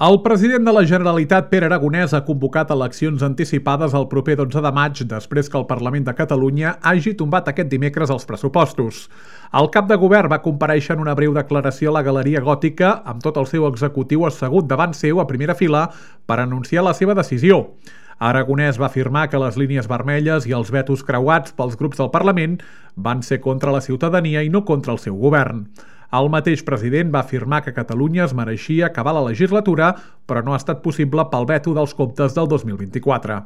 El president de la Generalitat, Pere Aragonès, ha convocat eleccions anticipades el proper 12 de maig després que el Parlament de Catalunya hagi tombat aquest dimecres els pressupostos. El cap de govern va comparèixer en una breu declaració a la Galeria Gòtica amb tot el seu executiu assegut davant seu a primera fila per anunciar la seva decisió. Aragonès va afirmar que les línies vermelles i els vetos creuats pels grups del Parlament van ser contra la ciutadania i no contra el seu govern. El mateix president va afirmar que Catalunya es mereixia acabar la legislatura, però no ha estat possible pel veto dels comptes del 2024.